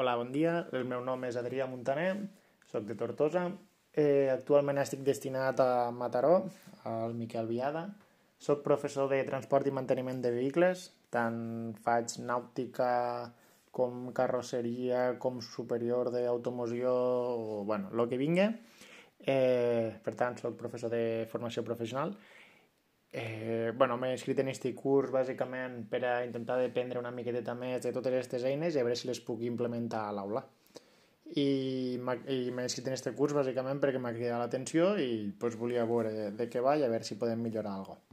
Hola, bon dia. El meu nom és Adrià Montaner, soc de Tortosa. Actualment estic destinat a Mataró, al Miquel Biada. Soc professor de transport i manteniment de vehicles, tant faig nàutica com carrosseria, com superior d'automoció, o, bueno, el que vingui. Per tant, soc professor de formació professional. M'he inscrit en aquest curs bàsicament per a intentar aprendre una miqueta més de totes aquestes eines i a veure si les puc implementar a l'aula. M'he inscrit en aquest curs bàsicament perquè m'ha cridat l'atenció i volia veure de què va i a veure si podem millorar alguna cosa.